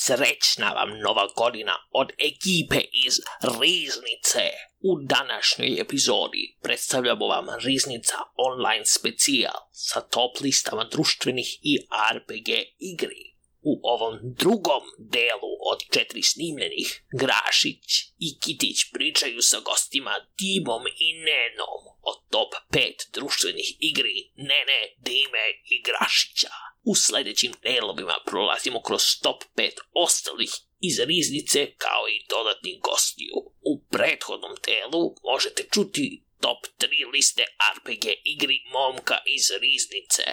Srećna vam nova godina od ekipe iz Riznice. U današnjoj epizodi predstavljamo vam Riznica online specijal sa top listama društvenih i RPG igri. U ovom drugom delu od 4 snimljenih, Grašić i Kitić pričaju sa gostima Dimom i Nenom o top 5 društvenih igri Nene, Dime i Grašića. U sljedećim delovima prolazimo kroz top 5 ostalih iz Riznice kao i dodatnih gostiju. U prethodnom delu možete čuti top 3 liste RPG igri momka iz Riznice.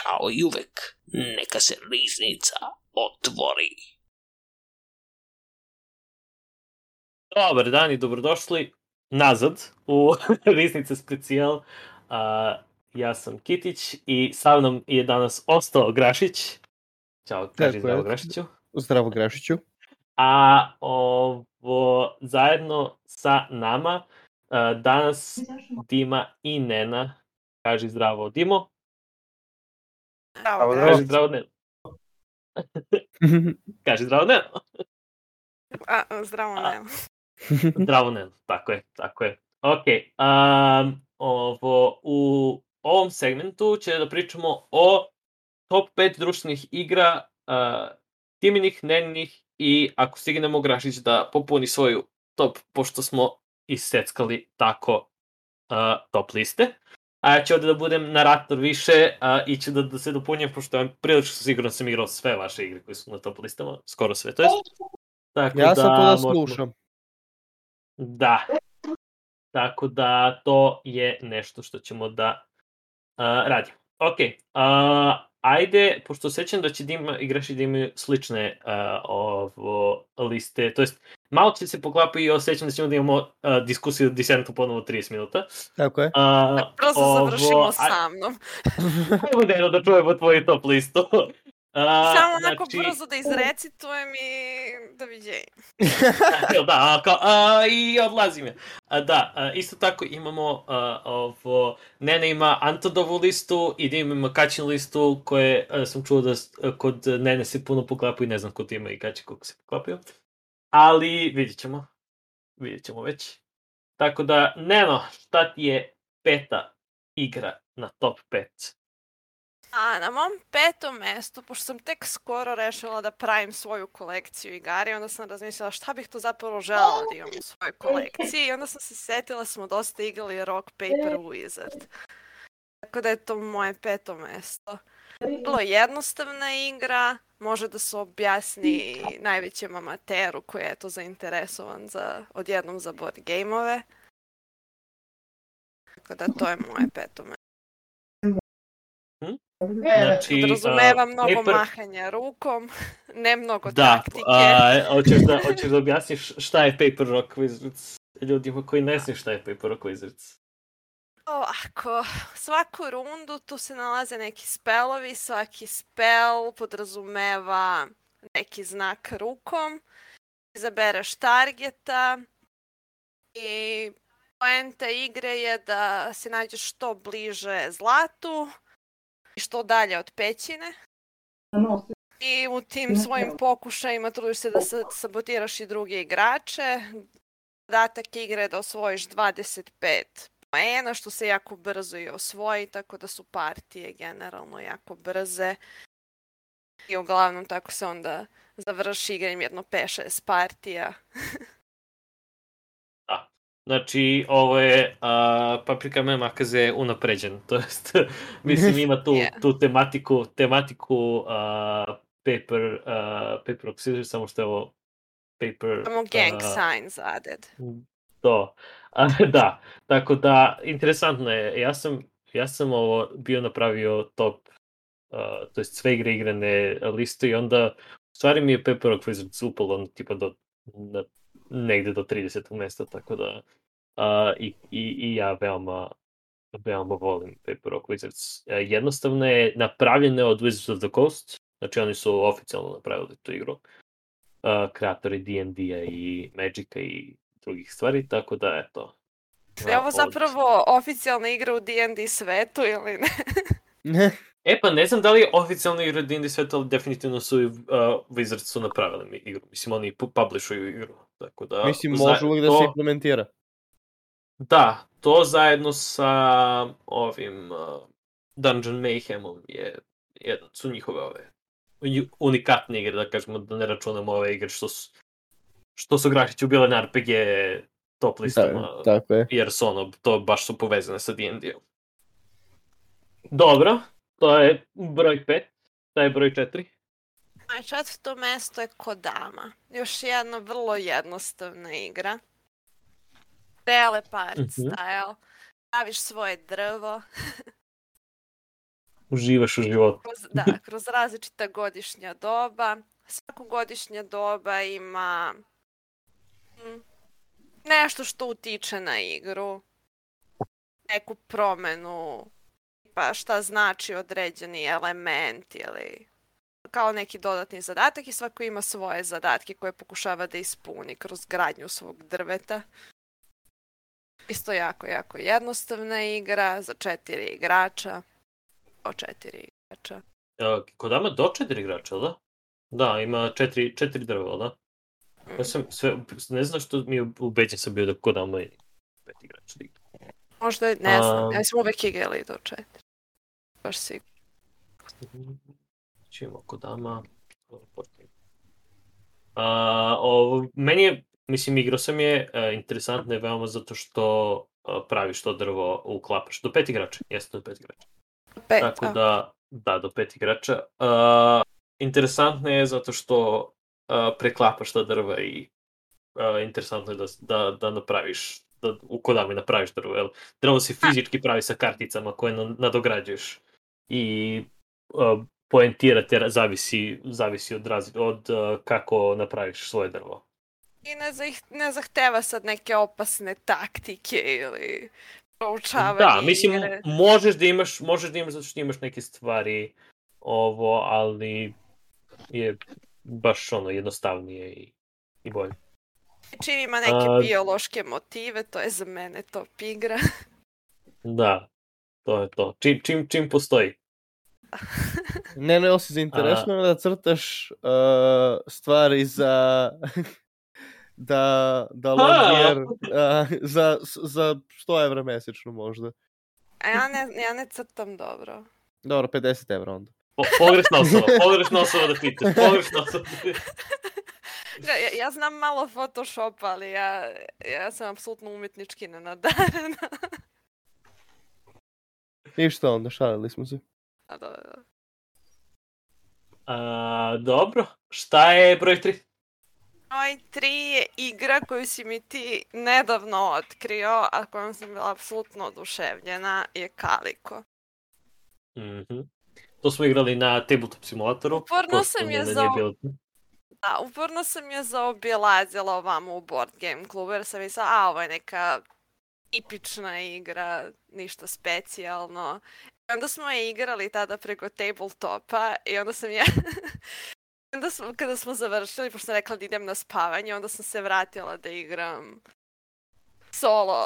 Kao i uvek, neka se Riznica otvori. Dobar dan i dobrodošli nazad u Riznice specijal. Ja sam Kitić i sa mnom je danas ostao Grašić. Ćao, kaži zdravo Grašiću. Zdravo Grašiću. A ovo zajedno sa nama danas Dima i Nena. Kaži zdravo Dimo. Zdravo. Kaži zdravo Nena. Kaži zdravo Nena. Zdravo Nena. Zdravo Nena, tako je. Ok, u ovom segmentu će da pričamo o top 5 društvenih igra Timinih, Neninih i ako stignemo Grašić da popuni svoju top, pošto smo iseckali tako top liste. A ja ću ovdje da budem narator više i ću da se dopunjam, pošto vam prilično sigurno sam igrao sve vaše igre koje su na top listama, skoro sve, to jest. Tako ja sam to da slušam. Da. Tako da to je nešto što ćemo da radimo. Ok, ajde, pošto sećam da će Dima i Grašić da imaju slične liste, to jest malo će se poklapati i osjećam da ćemo da imamo diskusiju o Descentu ponovo 30 minuta. Tako je. Prosto završimo sa mnom. Ajmo Neno da čujemo tvoju top listu. Samo onako brzo da izrecitujem i doviđenja. I odlazim je. Isto tako imamo Nena ima Antodovu listu i Dima ima Kaćinu listu koje sam čuo da kod Nene se puno poklapaju, ne znam kod ima i Kaći koliko se poklapaju. Ali vidjet ćemo već. Tako da, Neno, šta ti je peta igra na top 5? Na mom petom mestu, pošto sam tek skoro rešila da pravim svoju kolekciju igara, onda sam razmišljala šta bih to zapravo želela da imam u svojoj kolekciji i onda sam se setila smo dosta igrali Rock, Paper, Wizard. Tako da je to moje peto mesto. Vrlo jednostavna igra, može da se objasni najvećem amateru koji je to zainteresovan odjednom za board game-ove. Tako da to je moje peto mesto. Znači, podrazumeva mnogo mahanja rukom, ne mnogo taktike. Hoćeš da objasniš šta je Paper Rock Wizards ljudima koji ne znaju šta je Paper Rock Wizards? Ovako, svaku rundu tu se nalaze neki spelovi, svaki spel podrazumeva neki znak rukom, izabereš targeta i poenta igre je da se nađeš što bliže zlatu i što dalje od pećine. I u tim svojim pokušajima trudiš se da sabotiraš i druge igrače. Zadatak igre je da osvojiš 25 poena, što se jako brzo i osvoji, tako da su partije generalno jako brze. I uglavnom tako se onda završi igranjem jedno 5-6 partija. Znači, ovo je Paprika Makaze unapređen, to jest, mislim, ima tu tematiku Paper Rock Scissors, samo što je ovo Paper... Samo gang signs added. To, da, tako da, interesantno je, ja sam ovo bio napravio top, to jest sve igrane liste i onda, u stvari mi je Paper Rock Wizards upalo, tipa negde do 30. mesta, tako da i ja veoma volim Paper Rock Wizards. Jednostavno je napravljene od Wizards of the Coast, znači oni su oficijalno napravili tu igru, kreatori D&D-a i Magica i drugih stvari, tako da eto. Je ovo zapravo oficijalna igra u D&D svetu ili ne? Pa ne znam da li je oficijalna igra D&D sveta, ali definitivno su Wizards su napravili igru. Mislim, oni publishuju igru. Tako da, Mislim, može uvijek da se implementira. Da, to zajedno sa ovim Dungeon Mayhemom su njihove unikatne igre, da kažemo, da ne računamo ove igre što su Grašiću bile na RPG top listama, tako je. jer su to baš su povezane sa D&D-om. Dobro, to je broj 5, to je broj 4. A četvrto mesto je Kodama. Još jedna vrlo jednostavna igra. Trailer park style. Praviš svoje drvo. Uživaš u životu. Kroz različita godišnja doba. Svako godišnja doba ima nešto što utiče na igru. Neku promenu. Pa šta znači određeni element ili kao neki dodatni zadatak i svako ima svoje zadatke koje pokušava da ispuni kroz gradnju svog drveta. Isto jako jednostavna igra za 4 igrača. Do 4 igrača. Kodama do 4 igrača, da? Da, ima 4 drva, da? Ja sam ne znam što mi je ubeđen sam bio da Kodama je 5 igrača. Možda, ne znam, ja sam uvek igrali do 4. Baš sigurno. Čujemo Kodama. Meni je, mislim, igrao sam je, interesantno je veoma zato što praviš to drvo, uklapaš. Do 5 igrača, jeste do 5 igrača. Tako da, do 5 igrača. Interesantno je zato što preklapaš ta drva i interesantno je da napraviš, da u Kodami napraviš drvo, jer drvo se fizički pravi sa karticama koje nadograđuješ i poentirate zavisi od kako napraviš svoje drvo. I ne zahteva sad neke opasne taktike ili proučavanje igre. Da, mislim, možeš da imaš zato što imaš neke stvari ali je baš jednostavnije i bolje. Čim ima neke biološke motive, to je za mene top igra. Da, to je to. Čim postoji. Ne, osi zainteresno da crtaš stvari za da longier za 100 evra mesečno možda. A ja ne crtam dobro. Dobro, 50 evra onda. Pogrešna osoba da pitaš, pogrešna osoba. Ja znam malo Photoshopa, ali ja sam apsolutno umetnički nenadarena. Ništa onda, šalili smo se. Dobro, šta je broj 3? Broj 3 je igra koju si mi ti nedavno otkrio, a kojom sam bila apsolutno oduševljena, je Kaliko. To smo igrali na Tabletop simulatoru. Uporno sam je zaobilazila ovamo u Board Game klubu, jer sam mislila, ovo je neka tipična igra, ništa specijalno. I onda smo je igrali tada preko tabletopa i onda sam ja... kada smo završili, pošto sam rekla da idem na spavanje, onda sam se vratila da igram solo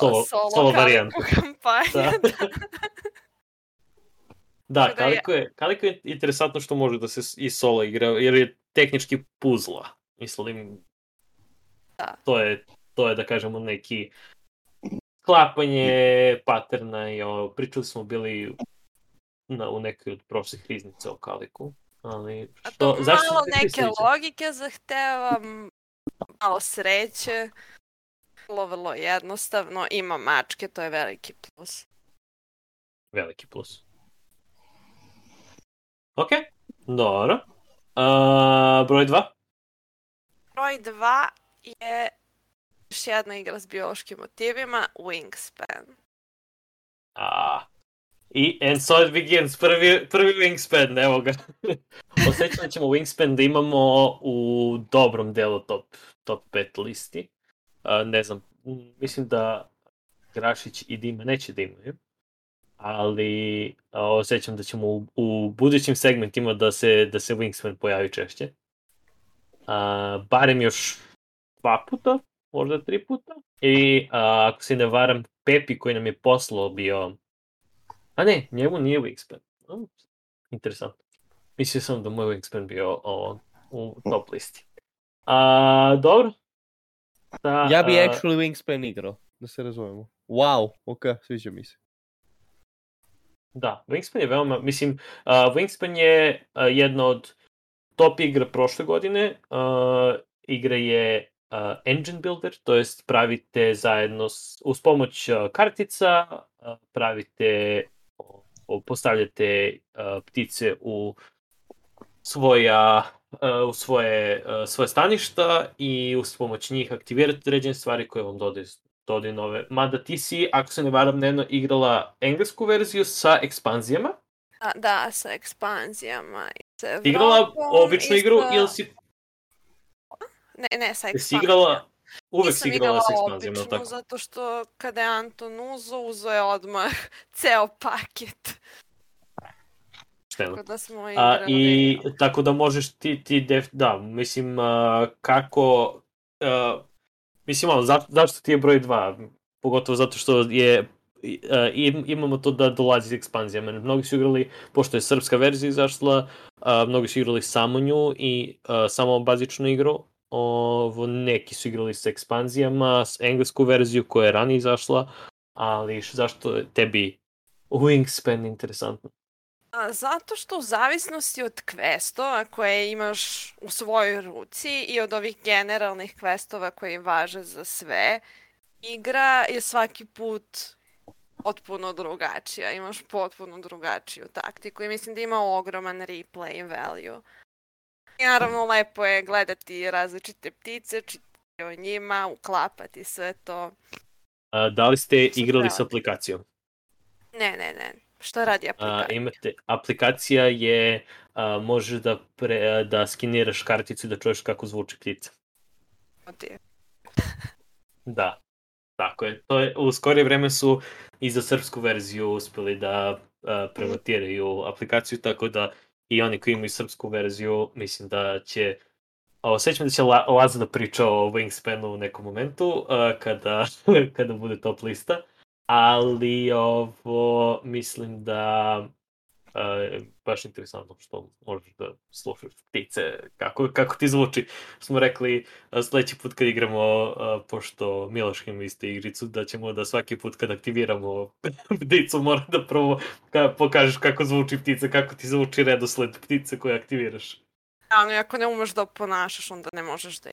Kaliko kampanju. Da, Kaliko je interesantno što može da se i solo igra, jer je tehnički puzla. Mislim, to je da kažemo neki sklapanje paterna i pričali smo bili u nekoj od prošlih riznica o Kaliku. A to malo neke logike zahteva, malo sreće, vrlo jednostavno, ima mačke, to je veliki plus. Veliki plus. Ok, dobro. Broj 2? Broj 2 je još jedna igra s biološkim motivima, Wingspan. And so it begins, prvi Wingspan, evo ga. Osjećam da ćemo Wingspan da imamo u dobrom delu top 5 listi. Ne znam, mislim da Grašić i Dima neće da imaju. Ali osjećam da ćemo u budućim segmentima da se Wingspan pojavi češće. Barem još 2 puta, možda 3 puta. I ako se ne varam, Pepi koji nam je poslao bio... A ne, njemu nije Wingspan. Interesantno. Mislio sam da moj Wingspan bio u top listi. Dobro. Ja bi actually Wingspan igrao, da se razumemo. Wow, ok, sviđa mi se. Da, Wingspan je veoma, mislim, Wingspan je jedna od top igra prošle godine. Igra je engine builder, to jest pravite zajedno uz pomoć kartica, pravite, postavljate ptice u svoje staništa i uz pomoć njih aktivirate određene stvari koje vam dodaju nove. Mada ti si, ako se ne varam, igrala englesku verziju sa ekspanzijama. Da, sa ekspanzijama. Ti igrala običnu igru ili si... Ne, sa Si ekspanzijama. igrala... Uvek Nisam si igrala sa igrala ekspanzijama, običnu, tako? zato što kada je Anton uzeo je odmah ceo paket. Šteno. Tako da smo igrali. I tako da možeš da, mislim, kako... mislim, zašto ti je broj 2? Pogotovo zato što je... imamo to da dolazi iz ekspanzijama. Mnogi su igrali, pošto je srpska verzija izašla, mnogi su igrali samo nju i samo bazičnu igru. Neki su igrali sa ekspanzijama, s englesku verziju koja je ranije izašla, ali zašto je tebi Wingspan interesantno? Zato što u zavisnosti od questova koje imaš u svojoj ruci i od ovih generalnih questova koji važe za sve, igra je svaki put potpuno drugačija. Imaš potpuno drugačiju taktiku i mislim da ima ogroman replay value. I naravno lepo je gledati različite ptice, čitati o njima, uklapati sve to. Da li ste igrali s aplikacijom? Ne. Što radi aplikacija? Aplikacija je, možeš da skiniraš karticu i da čuješ kako zvuči ptica. Da, tako je. U skorije vreme su i za srpsku verziju uspeli da premotiraju aplikaciju, tako da i oni koji imaju srpsku verziju, mislim da će... Osjećam da će Laza da priča o Wingspanu u nekom momentu, kada bude top lista. Ali mislim da je baš interesantno što možeš da slušaš ptice, kako ti zvuči. Smo rekli sledeći put kad igramo, pošto Miloš ima isto igricu, da ćemo da svaki put kad aktiviramo pticu mora da prvo pokažeš kako zvuči ptica, kako ti zvuči redosled ptice koje aktiviraš. Ali ako ne umeš da ponašaš, onda ne možeš da...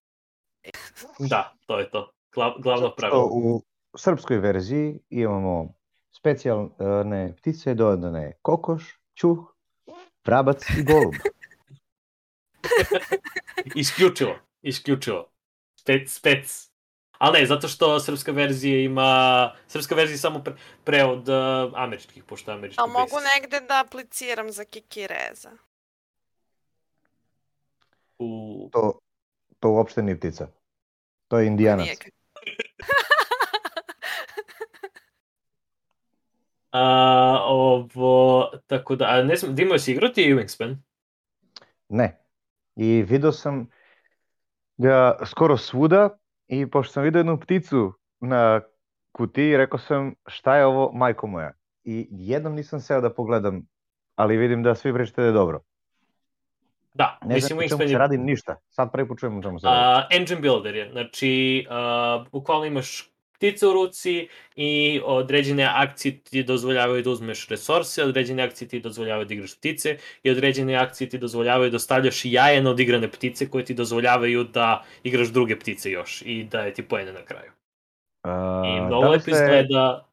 Da, to je to. Glavno pravilo. U srpskoj verziji imamo specijalne ptice dodane kokoš, čuh, vrabac i golub. Isključivo. Spec. Ali ne, zato što srpska verzija je samo prevod američkih, pošto je američki. A mogu negde da apliciram za kikireza? To uopšte nije ptica. To je indijanac. Tako da, ne znam, Dimo, si igrao ti Wingspan? Ne. I vidio sam ga skoro svuda i pošto sam vidio jednu pticu na kutiji, rekao sam šta je ovo, majko moja. I jednom nisam seo da pogledam, ali vidim da svi pričate da je dobro. Da, ne mislim, znam čemu se radim ništa. Sad prvi put čujem čemu se radi. Engine builder je, znači, bukvalno imaš ptice u ruci i određene akcije ti dozvoljavaju da uzmeš resurse, određene akcije ti dozvoljavaju da igraš ptice i određene akcije ti dozvoljavaju da stavljaš jaje na odigrane ptice koje ti dozvoljavaju da igraš druge ptice još i daje ti poene na kraju. I mnogo lepo izgleda...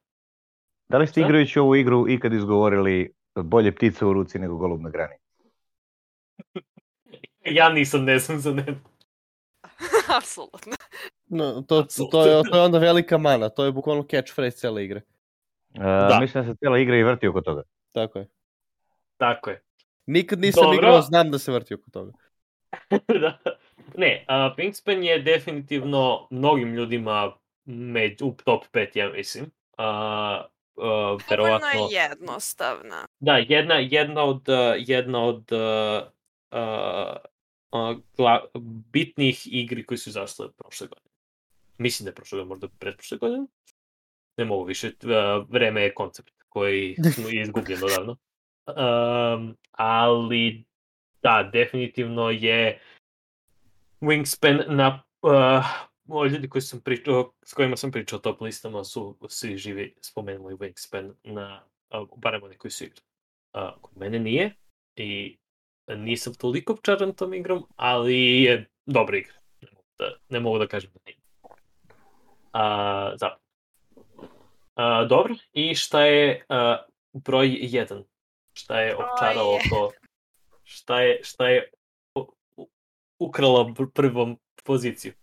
Da li ste igrajući ovu igru ikad izgovorili bolje ptice u ruci nego golub na grani? Ja nisam, ne znam za ne. Apsolutno. No, to je onda velika mana, to je bukvalno catchphrase cele igre. Mislim da se cijela igra i vrti oko toga. Tako je. Nikad nisam Dobro. igrao, znam da se vrti oko toga. Da. Ne, Wingspan je definitivno mnogim ljudima u top 5, ja mislim. Dovoljno je jednostavna. Da, jedna od bitnih igri koji su izašle prošle godine. Mislim da je prošle godine, možda pretprošle godine. Ne mogu više, vreme je koncept koji je izgubljen odavno. ali da, definitivno je Wingspan na ljudi koji sam pričao, s kojima sam pričao o top listama su svi živi spomenuli Wingspan na barem oni koji su igrali. Kod mene nije i nisam toliko čaran tom igrom, ali je dobra igra. Ne mogu da kažem da nije. Dobro, i šta je broj 1? Šta je opčaralo to? Šta je ukrala prvom poziciju?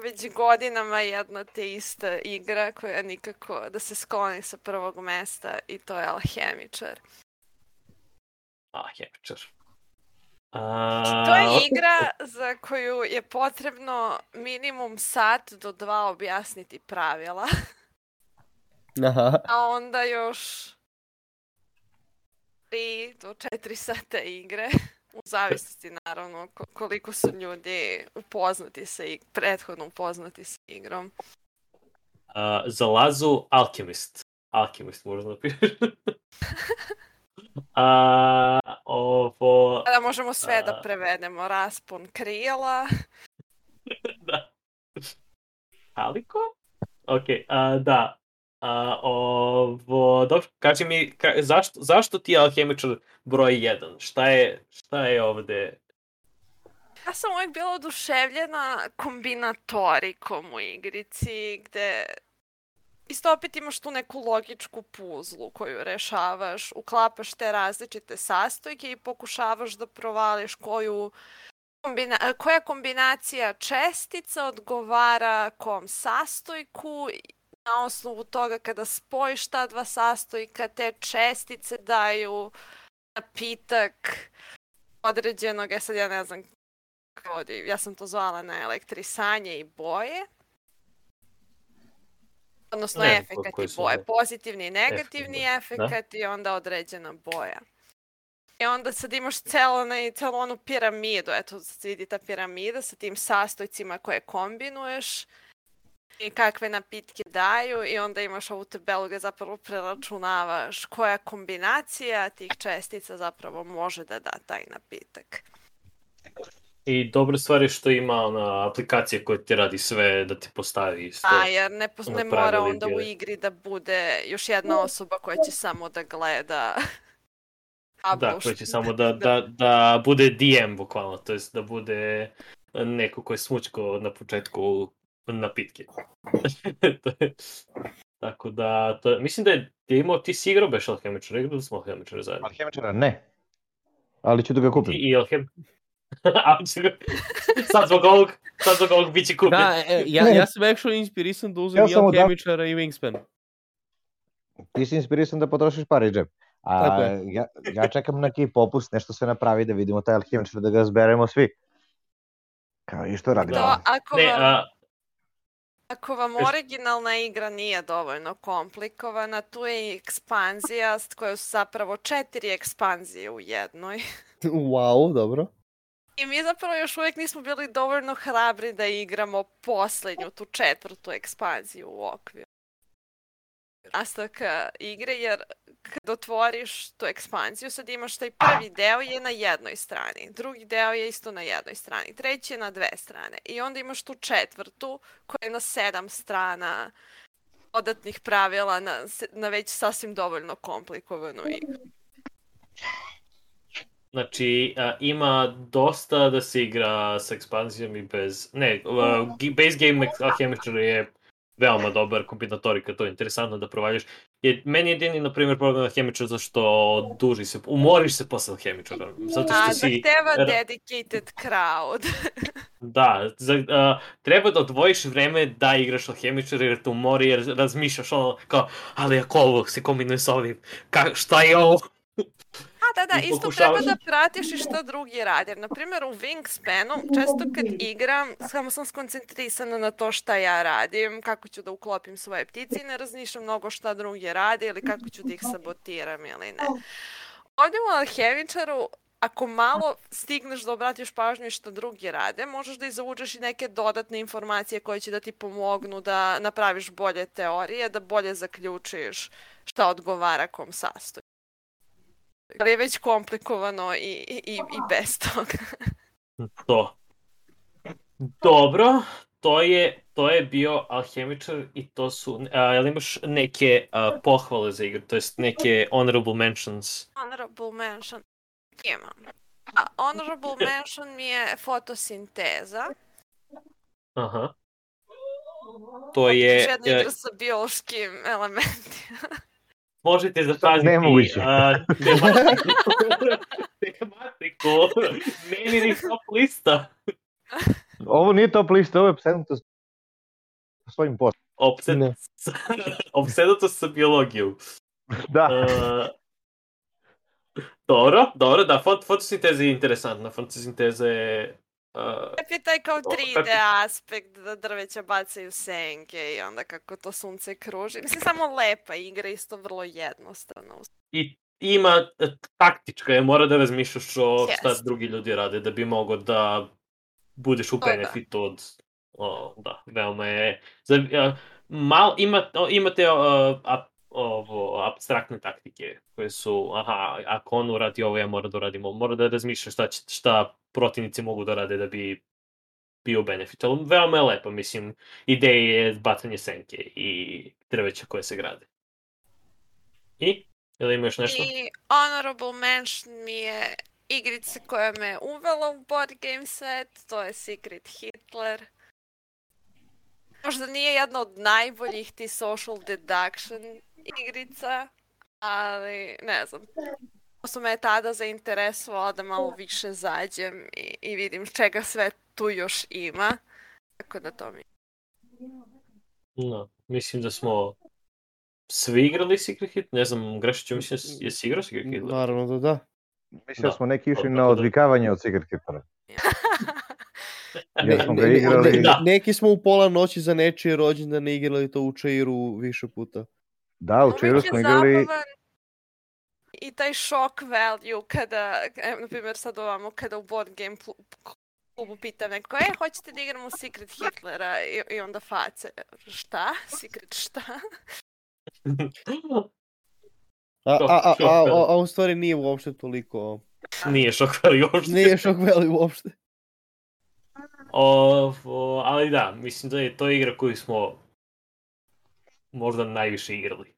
Već godinama jedna te ista igra koja nikako da se skloni sa prvog mesta i to je Alhemičar. Alhemičar. To je igra za koju je potrebno minimum sat do 2 objasniti pravila. Aha. A onda još 3 do 4 sata igre. U zavisnosti naravno koliko su ljudi prethodno upoznati sa igrom. Za Lazu Alchemist. Alchemist možda napišeš. Da možemo sve da prevedemo. Raspon krila. Da. Aliko? Ok, da. Dobro, kaži mi, zašto ti je Alhemičar broj 1? Šta je ovde? Ja sam uvijek bila oduševljena kombinatorikom u igrici, gde isto opet imaš tu neku logičku puzlu koju rešavaš, uklapaš te različite sastojke i pokušavaš da provališ koja kombinacija čestica odgovara kom sastojku. Na osnovu toga kada spojiš ta dva sastojka, te čestice daju napitak određenog, sad ja ne znam ja sam to zvala na elektrisanje i boje. Odnosno efekat i boje. Pozitivni i negativni efekat i onda određena boja. I onda sad imaš celu onu piramidu, eto se vidi ta piramida sa tim sastojcima koje kombinuješ i kakve napitke daju i onda imaš ovu tabelu gdje zapravo preračunavaš koja kombinacija tih čestica zapravo može da da taj napitak. I dobra stvar je što ima ona aplikacija koja ti radi sve da ti postavi isto. Jer ne mora onda u igri da bude još jedna osoba koja će samo da gleda. Da, koja će samo da bude DM bukvalno, to jest da bude neko ko je smučko na početku napitke. Tako da, mislim da je imao, ti si igrao beš Alhemičara, igrali smo Alhemičara zajedno. Alhemičara ne, ali ću da ga kupim. I sad zbog ovog bit će kupit. Da, ja sam actually inspirisan da uzem i Alhemičara i Wingspan. Ti si inspirisan da potrošiš pare, džep. Ja čekam neki popust, nešto se napravi da vidimo taj Alhemičar, da ga zberemo svi. Kao i što radimo. Ako vam originalna igra nije dovoljno komplikovana, tu je i ekspanzija koja su zapravo 4 ekspanzije u jednoj. Wow, dobro. I mi zapravo još uvijek nismo bili dovoljno hrabri da igramo posljednju, tu 4. ekspanziju u okviru nastavka igre, jer kad otvoriš tu ekspanziju, sad imaš taj prvi deo je na jednoj strani, drugi deo je isto na jednoj strani, treći je na 2 strane i onda imaš tu 4. koja je na 7 strana dodatnih pravila na već sasvim dovoljno komplikovanu igru. Znači, ima dosta da se igra s ekspanzijom i bez... base game Alhemičar je veoma dobar kombinatorika, to je interesantno da provaljaš. Meni je jedini, na primjer, problem Alhemičar zašto umoriš se posle Alhemičara. Zahteva dedicated crowd. Da, treba da odvojiš vreme da igraš Alhemičar jer te umori, jer razmišljaš ono kao, ali ako ovo se kombinuje s ovim, šta je ovo? Da, isto treba da pratiš i što drugi radi. Naprimjer, u Wingspanu, često kad igram, samo sam skoncentrisana na to šta ja radim, kako ću da uklopim svoje ptice i ne razmišljam mnogo šta drugi radi ili kako ću da ih sabotiram ili ne. Ovdje u Alhemičaru, ako malo stigneš da obratiš pažnju i što drugi rade, možeš da izvučeš i neke dodatne informacije koje će da ti pomognu da napraviš bolje teorije, da bolje zaključiš šta odgovara kom sastoju. Ali je već komplikovano i bez toga. To. Dobro, to je bio Alhemičar i to su... jel imaš neke pohvale za igru, to jest neke honorable mentions? Honorable mention. Imam. Honorable mention mi je fotosinteza. Aha. To je... Još jedna igra sa biološkim elementima. Možete zapaziti Nemoguće. tematiku. Meni ni top lista. Ovo nije top lista, ovo je opsednutost sa svojim poslom. Opsednutost sa biologijom. Da. Dobro, da, fotosinteza je interesantna. Fotosinteza je... Lep je taj kao 3D aspekt da drveća bacaju senke i onda kako to sunce kruži. Mislim, samo lepa igra, isto vrlo jednostavna. I ima taktička je, mora da razmišljaš o šta drugi ljudi rade da bi mogo da budeš u benefitu od... Da, veoma je... Imate apstraktne taktike koje su, ako on uradi ovo, ja moram da uradim ovo. Mora da razmišljaš šta protivnici mogu da rade da bi bio benefit. Ali veoma je lepo, mislim, ideja je bacanje senke i drveća koje se grade. I? Ili imaš nešto? I honorable mention mi je igrica koja me uvela u board game set, to je Secret Hitler. Možda nije jedna od najboljih ti social deduction igrica, ali ne znam. Su me tada zainteresovala da malo više zađem i vidim čega sve tu još ima. Tako da to mi... No, mislim da smo svi igrali Secret Hitler. Ne znam, Grešiću, mislim, jesi igrao Secret Hitler? Naravno da. Mislim da smo neki išli na odvikavanje od Secret Hitlera. Neki smo u pola noći za nečije rođendane igrali to u Chairu više puta. Da, u Chairu smo igrali... I taj shock value kada, na primjer sad ovamo, kada u board game klubu pitam neko, hoćete da igramo Secret Hitlera i onda face, šta? Secret šta? A u stvari nije uopšte toliko... Nije shock value uopšte. Nije shock value uopšte. Ali da, mislim da je to igra koju smo možda najviše igrali.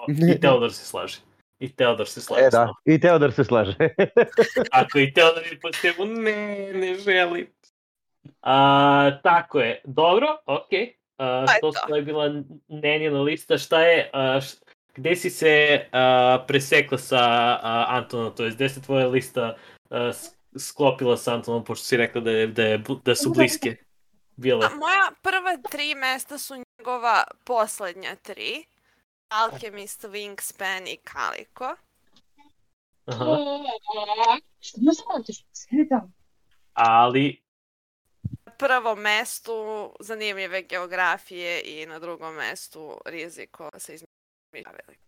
I Teodor se slaže. Da, i Teodor se slaže. Ako i Teodor je po tebu, ne želim. Tako je. Dobro, okej. To je bila Nenina lista. Šta je, gde si se presekla sa Antonom, to je gde se tvoja lista sklopila sa Antonom, pošto si rekla da su bliske bile? Moja prva 3 mesta su njegova poslednja 3. Alchemist, Wingspan i Calico. Ali... Na prvom mestu zanimljive geografije i na drugom mestu riziko sa izmišljenim pravilima.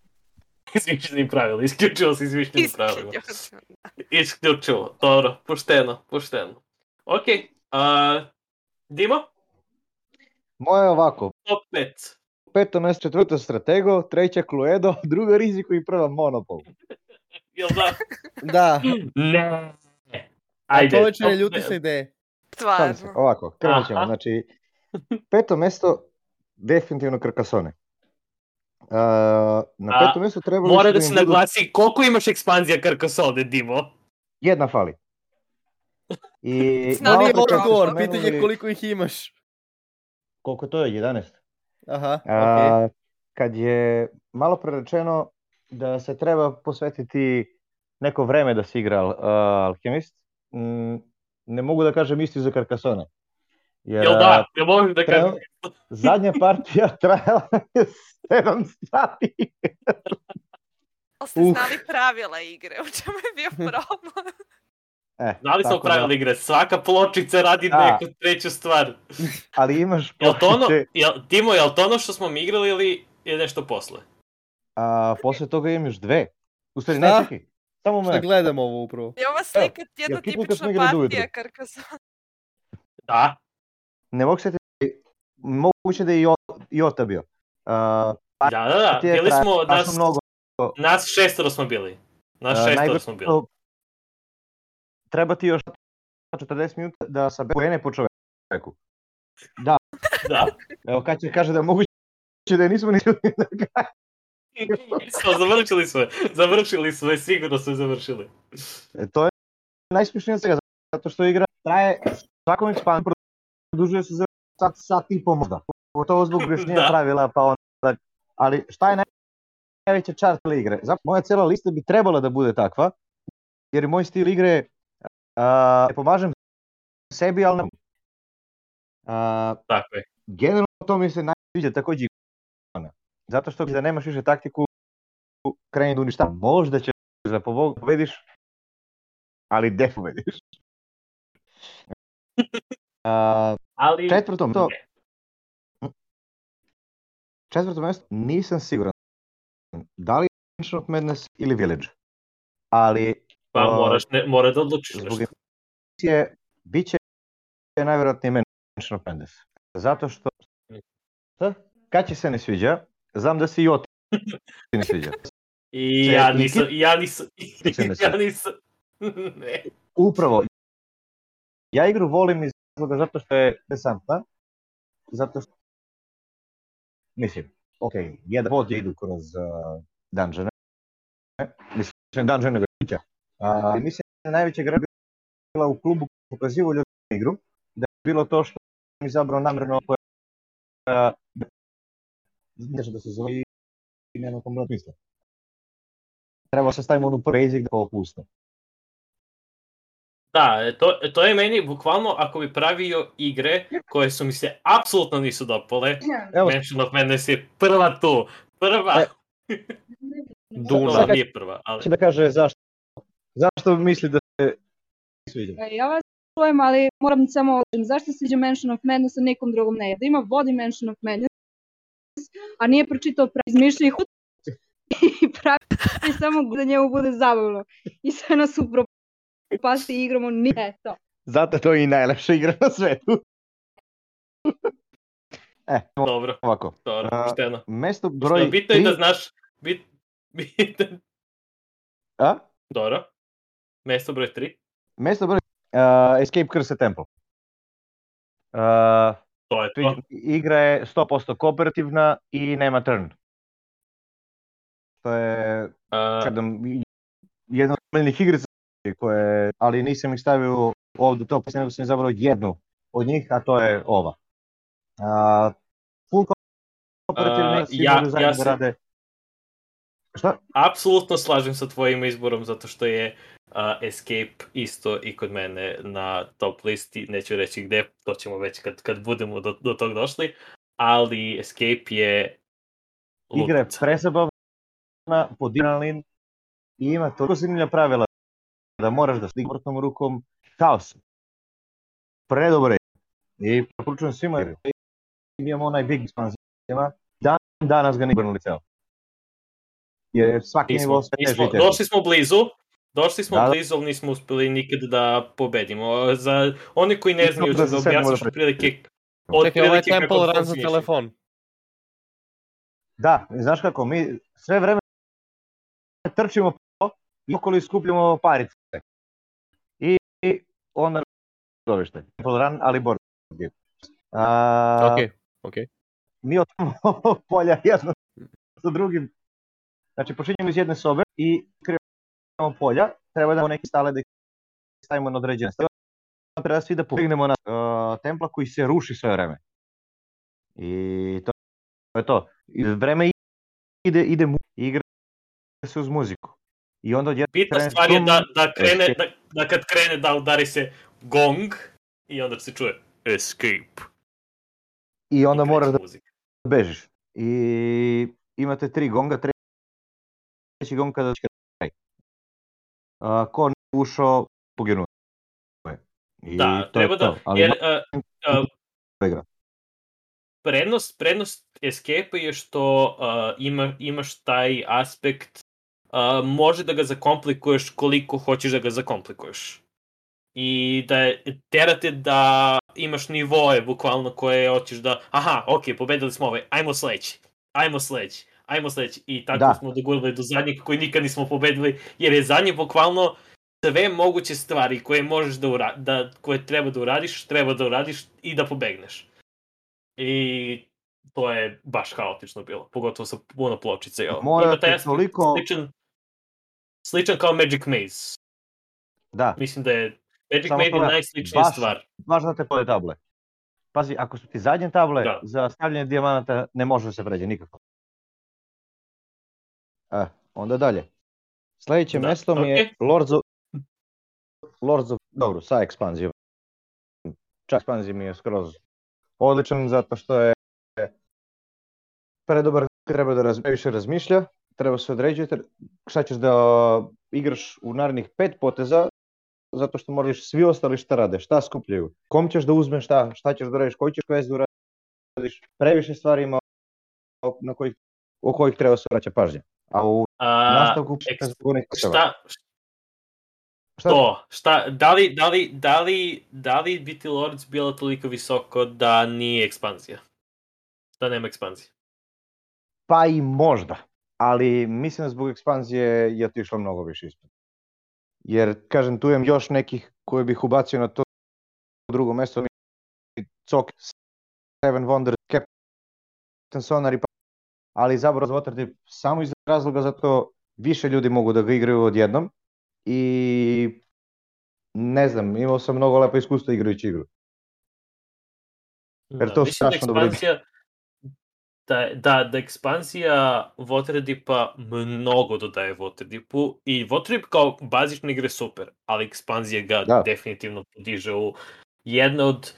Izmišljenim pravilima, isključivo sa izmišljenim pravilima. Isključivo, dobro, pošteno. Okej, Dimo? Moje je ovako. Top 5. 5. mesto, 4. Stratego, 3. Cluedo, 2. Riziko i 1. Monopol. Jel da? Da. Ne. Ajde. A to već ne ljuti se ideje. Stvarno. Ovako, krenut ćemo. Znači, 5. mesto, definitivno Carcassonne. Na 5. mesto trebalo... Mora da se naglasi koliko imaš ekspanzija Carcassonne, Dimo? Jedna fali. Nije odgovor, pitanje koliko ih imaš. Koliko to je? 11. Aha, okej. Kad je malo prerečeno da se treba posvetiti neko vreme da se igra Alchemist, ne mogu da kažem isti za Carcassonne. Jel da? Jel možeš da kažem? Zadnja partija trajala je 7 sati. Ste znali pravila igre, u čemu je bio problem? Znali smo pravila igre, svaka pločica radi neku treću stvar. Ali imaš pločice... Timo, je li to ono što smo mi igrali ili je nešto posle? Posle toga imam još 2. U stvari, ne čekaj. Samo me. Šta gledam ovo upravo? Je ova slika jedna tipična partija Carcassonne? Da. Ne mogu se moguće da je i Jota bio. Da. Bili smo... Nas 6 smo bili. Treba ti još 40 minuta da sabere po čoveku. Da. Evo kad će kaže da moguće da nismo ni na kraju. Završili smo, sigurno smo završili. To je najsmišnije od svega, zato što igra traje svakom ekspandu produžuje se za sat i po možda. Pogotovo zbog objašnjenja pravila, pa onda. Ali šta je najveća čast igre? Zapravo moja cijela lista bi trebala da bude takva, jer moj stil igre ne pomažem sebi, ali ne. Tako je. Generalno to mi se najviđa također zato što da nemaš više taktiku kreni da uništava. Možda ćeš da pobediš, ali gde pobediš? Ali... Četvrto mjesto nisam siguran da li Mansion of Madness ili Village, ali mora da odlučiš zbog emisije bit će najvjerojatnije Mansion of Madness, zato što kad će se ne sviđa, znam da si i Oti ne sviđa. Ja nisam. Ne. Upravo. Ja igru volim iz razloga zato što je interesantna, zato što mislim, jedan vod idu kroz dungeone, mislim dungeone nego kuća. Mislim da najveća gra bila u klubu pokazivo ljudi igru, da je bilo to što sam izabrao namjerno koja da se zove i nema kompletno misla. Treba se stavimo onu basic da ovo puste. Da, to je meni bukvalno ako bi pravio igre koje su mi se apsolutno nisu dopale. Mansion of Madness je prva tu. Prva. Duna. Nije prva, ali... Da kaže zašto misli da se sviđa? Ja vas čujem, ali moram samo odličiti. Zašto sviđa Mansion of Madness, a nekom drugom ne? Da ima vodi Mansion of Madness, a nije pročitao izmišlja ih i pravi samo da njemu bude zabavno. I sve nas upropasti igramo nije to. Zato to je i najlepša igra na svetu. Dobro. Ovako. Dobro, pošteno. Mesto broj 3... Bitno je da znaš... Dobro. Mesto broj 3. Mesto broj Escape Curse Temple. To je to. Igra je 100% kooperativna i nema turn. To je jedna od omiljnih igrica koje, ali nisam ih stavio ovdje to, nego sam izabrao jednu od njih, a to je ova. Full kooperativni sigurno zajedno rade. Šta? Apsolutno slažem sa tvojim izborom, zato što je Escape isto i kod mene na top listi, neću reći gde, to ćemo već kad budemo do tog došli, ali Escape je lutnica. Igra je presabavna, pod adrenalin i ima toliko zanimljiva pravila da moraš da stigne vrtnom rukom haos. Predobro je. I preporučujem svima jer imamo onaj big ekspanzijama, danas ga ne brnuli ceo. Jer svaki nivo sve teže i teže. Došli smo blizu, ali nismo uspeli nikad da pobedimo. Za oni koji ne znaju, da objasniš otprilike... Čekaj, ovaj Temple Run za telefon. Da, znaš kako, mi sve vreme trčimo i okolo iskupljamo parice. I onda zoveš te. Temple Run, ali board game. Ok. Mi otvorimo polja jedno sa drugim. Znači, počinjemo iz jedne sobe i kreiramo polja. Treba da imamo neki stale da ih stavimo na određene stave. Treba svi da pobegnemo na templa koji se ruši sve vreme. I to je to. I vreme ide igra se uz muziku. I onda bitna stvar je da kad krene da udari se gong i onda se čuje Escape. I onda moraš da bežiš. I imate 3 gonga, treći gong kada će kraj. Ko ne ušao, poginuo. Da, treba da, jer prednost Escape je što imaš taj aspekt, može da ga zakomplikuješ koliko hoćeš da ga zakomplikuješ. I da terate da imaš nivoe bukvalno koje hoćeš da, aha, ok, pobedili smo ovaj, ajmo sledeći, ajmo sledeći. I tako Da. smo dogurali do zadnjeg koji nikad nismo pobedili, jer je zadnje bukvalno sve moguće stvari koje možeš koje treba da uradiš i da pobegneš. I to je baš haotično bilo, pogotovo sa puno pločice. Ima taj aspekt sličan kao Magic Maze. Da. Mislim da je Magic Samo Maze je najsličnija stvar. Baš za te pole table. Pazi, ako su ti zadnje table, za stavljanje dijamanata ne može da se pređe nikako. Onda dalje. Sljedeće mjesto mi je Lords of... Dobro, sa ekspanzijom. Čak ekspanzija mi je skroz odličan, zato što je predobar, treba da više razmišlja, treba se određiti šta ćeš da igraš u narednih 5 poteza, zato što moraš svi ostali šta rade, šta skupljaju, kom ćeš da uzmeš šta ćeš da radiš, koji ćeš quest da uradiš, previše stvari ima o kojih treba se vraća pažnja. A u nastavku... Da li biti Lords bilo toliko visoko da nije ekspanzija? Da nema ekspanzije? Pa i možda, ali mislim da zbog ekspanzije je otišlo mnogo više ispod. Jer, kažem, tu imam još nekih koje bih ubacio na to drugo mjesto, Cok, Seven Wonders, Captain Sonar, ali izabro za Waterdeep samo iz razloga zato više ljudi mogu da ga igraju odjednom i ne znam, imao sam mnogo lepo iskustva igrajući igru. Jer to strašno dobro ide. Da ekspanzija Waterdeepa mnogo dodaje Waterdeepu i Waterdeep kao bazična igra je super, ali ekspanzija ga definitivno podiže u jedna od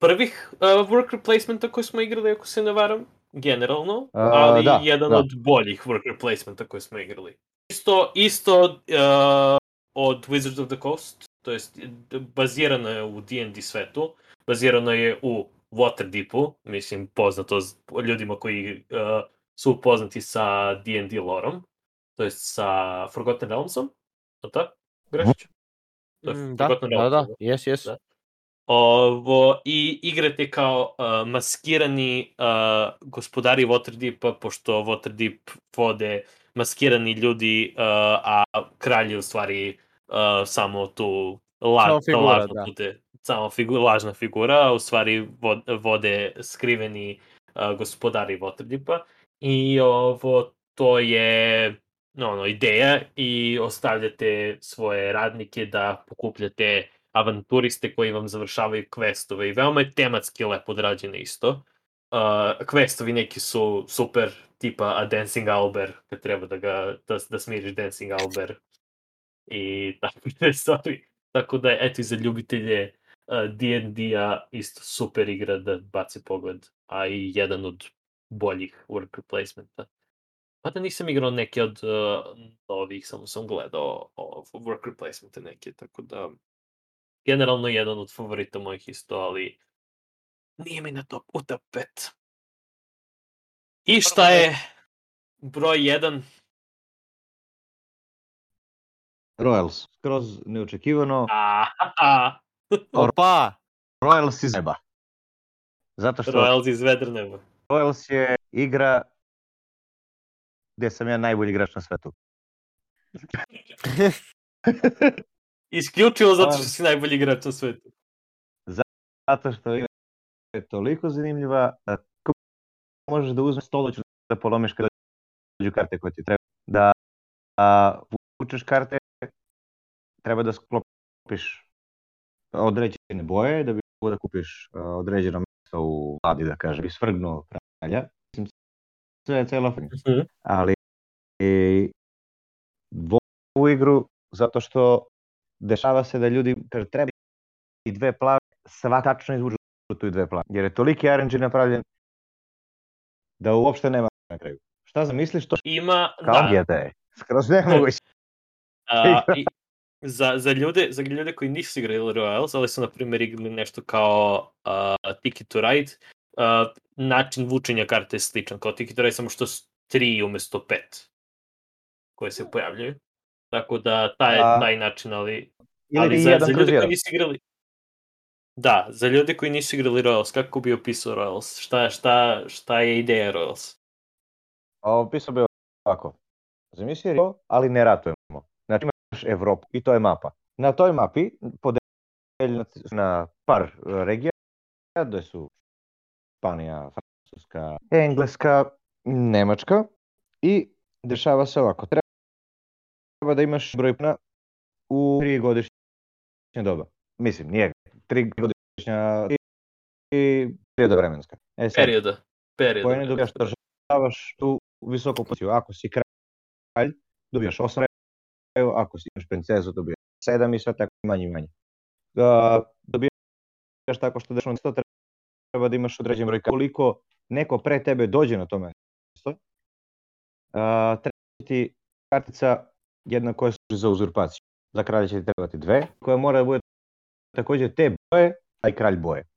prvih worker placementa koje smo igrali, ako se ne varam, generalno, ali jedan od boljih worker placementa koje smo igrali. Isto od Wizards of the Coast, to jest bazirano je u D&D svetu, bazirano je u Waterdeepu, mislim poznato ljudima koji su upoznati sa D&D lorom, to jest sa Forgotten Realmsom, to tako? Grešiću? Da, yes. I igrate kao maskirani gospodari Waterdeepa, pošto Waterdeep vode maskirani ljudi, a kralj je u stvari samo tu lažna figura, u stvari vode skriveni gospodari Waterdeepa. I to je ideja i ostavljate svoje radnike da pokupljate avanturiste koji vam završavaju questove i veoma je tematski lepo odrađene isto. Questovi neki su super, tipa A Dancing Owlbear, kad treba da smiriš Dancing Owlbear i takve stvari. Tako da, eto, i za ljubitelje D&D-a isto super igra da baci pogled, a i jedan od boljih worker placementa. Pa da nisam igrao neke od ovih, samo sam gledao worker placementa neke, tako da generalno jedan od favorita mojih isto, ali nije mi na top u top 5. I šta je broj 1? Royals, skroz neočekivano. Opa! Royals iz neba. Zato što Royals iz vedra neba. Royals je igra gdje sam ja najbolji igrač na svetu. Isključivo zato što si najbolji igrač na svetu. Zato što je toliko zanimljiva da možeš da uzmeš stoloć da polomiš kada dođu karte koje ti treba. Da vučeš karte, treba da sklopiš određene boje, da bi mogo da kupiš određeno mjesto u vladi, da kažem, i svrgnuo kralja. Mislim, sve je celo ali ovu igru zato što dešava se da ljudi kaže treba i 2 plave, sva tačno izvuču tu i 2 plave. Jer je toliki RNG napravljen da uopšte nema na kraju. Šta zamisliš to? Ima, kao je skroz nemoguće. Za ljude koji nisu igrali Royals, ali su na primjer igrali nešto kao Ticket to Ride, način vučenja karte je sličan kao Ticket to Ride, samo što 3 umjesto 5 koje se pojavljaju. Tako da taj način, ali za ljude koji nisu igrali... Da, za ljude koji nisu igrali Royals, kako bi opisao Royals? Šta je ideja Royals? Opisao bi ovako. Zamisli Rio, ali ne ratujemo. Znači imaš Evropu i to je mapa. Na toj mapi podeljena na par regija, gde su Španija, Francuska, Engleska, Nemačka i dešava se ovako. Treba da imaš broj plana u 3 godišnje doba. Mislim, nije 3 godišnja i perioda vremenska. Perioda. Poene dobijaš da državaš tu visoku poziciju. Ako si kralj, dobijaš 8 rejeva, ako si imaš princezu, dobijaš 7 i sve tako manje i manje. Dobijaš tako što dešno mesto, treba da imaš određen broj. Koliko neko pre tebe dođe na to mesto, treba ti kartica jedna koja služi za uzurpaciju. Za kralja će ti trebati 2, koja mora da bude takođe te boje, a i kralj boje.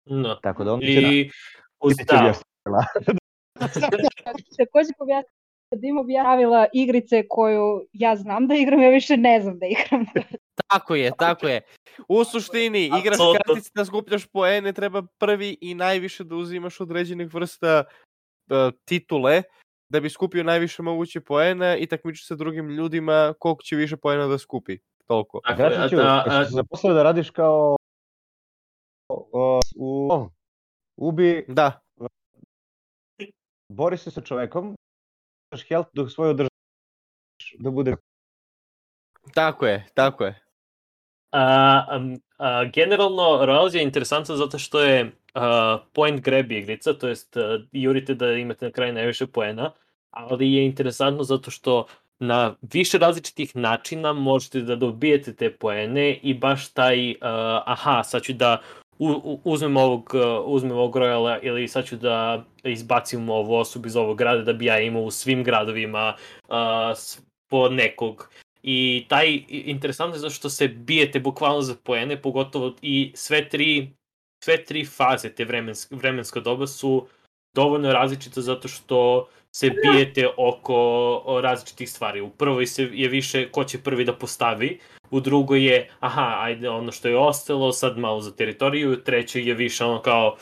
No. Tako da on I Takođe pojasniti da imam pravila igrice koju ja znam da igram, ja više ne znam da igram. Tako je. U suštini, igraš kartice da skupljaš poene, treba prvi i najviše da uzimaš određenih vrsta titule, da bi skupio najviše moguće poena i takmičiš sa drugim ljudima koliko će više poena da skupi. Toliko. Gračiću, se zaposlao da radiš kao ubi... Da. Bori se sa čovekom, daš health dok svoje održaš da bude... Tako je. Generalno, Royals je interesantno zato što je point grab igrica, to jest jurite da imate na kraju najviše poena, ali je interesantno zato što na više različitih načina možete da dobijete te poene i baš taj, sad ću da uzmem ovog Royala ili sad ću da izbacim ovu osobu iz ovog grada da bi ja imao u svim gradovima po nekog. I taj interesantno je zato što se bijete bukvalno za poene, pogotovo i sve tri faze te vremenska doba su dovoljno različite zato što se bijete oko različitih stvari. U prvoj je više ko će prvi da postavi, u drugoj je ajde ono što je ostalo, sad malo za teritoriju, u trećoj je više ono kao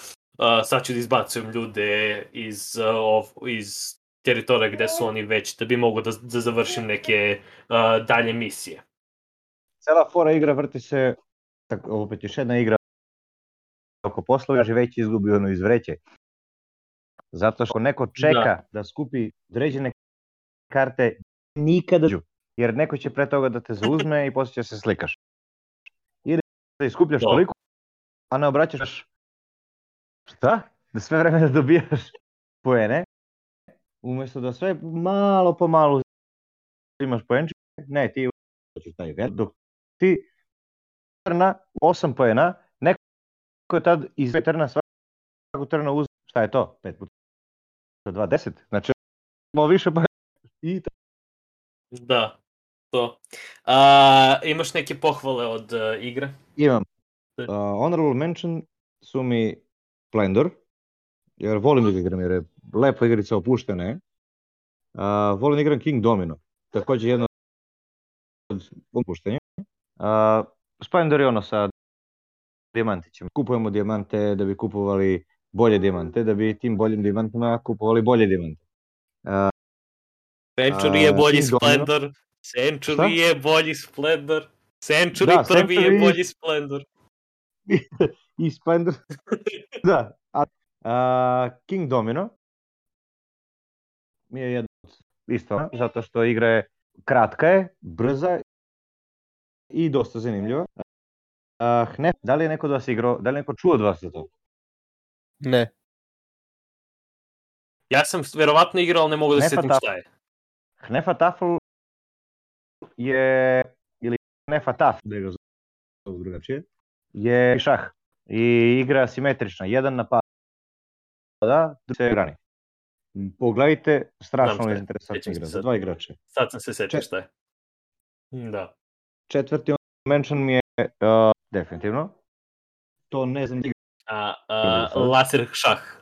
sad ću da izbacujem ljude iz teritorija gde su oni već, da bi mogu da završim neke dalje misije. Cela fora igra vrti se, opet još jedna igra oko poslova, već izgubi ono iz vreće. Zato što neko čeka da skupi određene karte nikada dođu. Jer neko će pre toga da te zauzme i posle će se slikaš. Ili da iskupljaš toliko, a ne obraćaš šta? Da sve vreme da dobijaš poene. Umesto da sve malo po malo imaš poenčike, ne, ti hoćeš taj vel, dok ti trna 8 poena, neko je tad iz turna svaku trna uzme, šta je to? 5 puta 2, 10, znači malo više poena i tako. Da, to. Imaš neke pohvale od igre? Imam. Honorable mention su mi Splendor, jer volim da igram, jer je lepa igrica, opuštena je. Volim da igram King Domino, također jedno od opuštenja. Splendor je ono sa dijamantićima. Kupujemo dijamante da bi kupovali bolje dijamante, da bi tim boljim dijamantima kupovali bolje dijamante. Century je bolji Splendor. Century je bolji Splendor. Century prvi je bolji Splendor. I Splendor. Da. King Domino mi je jedno isto, zato što igra je kratka je, brza i dosta zanimljiva. Hnef, da li je neko od vas igrao, da li je neko čuo od vas za to? Ne. Ja sam verovatno igrao, ali ne mogu da se setim šta je. Hnefa Tafel je, ili Hnefa Taf, da ga zove drugačije, je šah i igra simetrična, 1 na pada, se grani. Pogledajte, strašno je interesantna igra, za 2 igrače. Sad sam se sečio šta je. Da. Četvrti mention mi je definitivno. To ne znam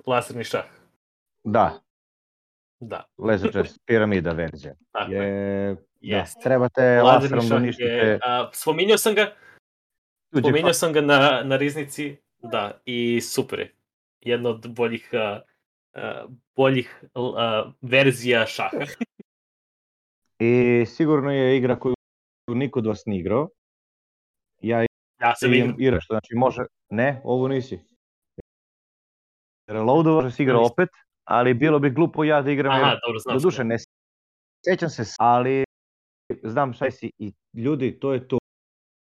laserni šah. Da. Da. Laser chess, piramida verzija. Tako je. Da, trebate laserom da uništite. Spominjao sam ga na riznici, da, i super je. Jedno od boljih boljih verzija šaha. I sigurno je igra koju niko od vas nije igrao. Ja sam imam igra, što znači može... Ne, ovo nisi. Reloadova može si igra opet, ali bilo bi glupo ja da igram. Aha, dobro, znam do duše ne sjećam se, ali znam šta si i ljudi, to je